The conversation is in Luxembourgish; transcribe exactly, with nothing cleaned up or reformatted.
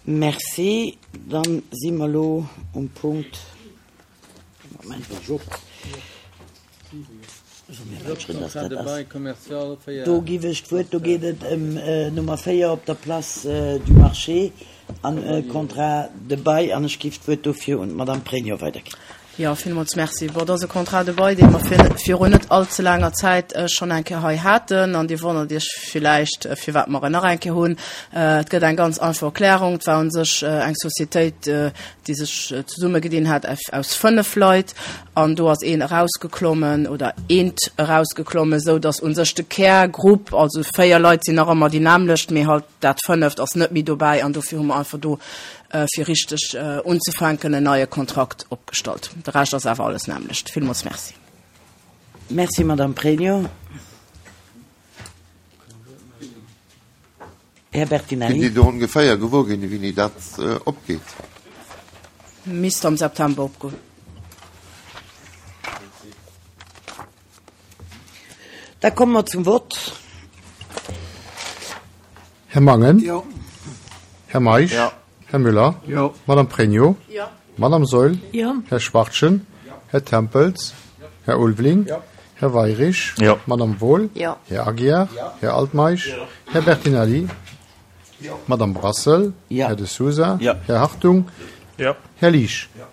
Merci. Dann si mer elo um Punkt, Moment, do giff ech d'Wuert, do geet et ëm Nummer véier op der Place du Marché an e Contrat de bail an ech giff d'Wuert dofir un d'Madame Pregno weiderginn. Jo, villmools Merci. Bon, dat ass e Contrat de bail, dee mer virun net all ze laanger Zäit schonn eng Kéier hei haten. An Dir wonnert Iech villäicht, firwat mer en nach eng Kéier hunn. Et gëtt eng ganz einfach Erklärung. Et war u sech eng Societéit, déi sech zesummegedinn hat aus fënnef Leit. An do ass een erausgeklommen oder eent erausgeklommen, esou datt u sech de Kärgrupp, also véier Leit sinn nach ëmmer déi nämmlecht, mee halt dat fënneft ass net méi dobäi. An dofir hu mer einfach do, fir richteg unzefänken, en neie Kontrakt opgestallt. De Rescht ass awer alles nämmlecht. Villmools Merci. Merci, Madame Pregno. Här Bertinelli. Kënnt Dir do ongeféier gewuer ginn, wéini dat opgeet? Misst am September opgoen. Da komme mer zum Vott. Här Mangen. Jo. Här Meisch. Jo. Här Müller. Jo. Madame Pregno. Jo. Madame Saeul. Jo. Här Schwachtgen. Jo. Här Tempels. Jo. Här Ulveling. Jo. Här Weirich. Jo. Madame Wohl. Jo. Här Aguiar. Jo. Här Altmeisch. Jo. Här Bertinelli. Jo. Madame Brassel. Jo. Här De Sousa. Jo. Här Hartung. Jo. Här Liesch. Jo.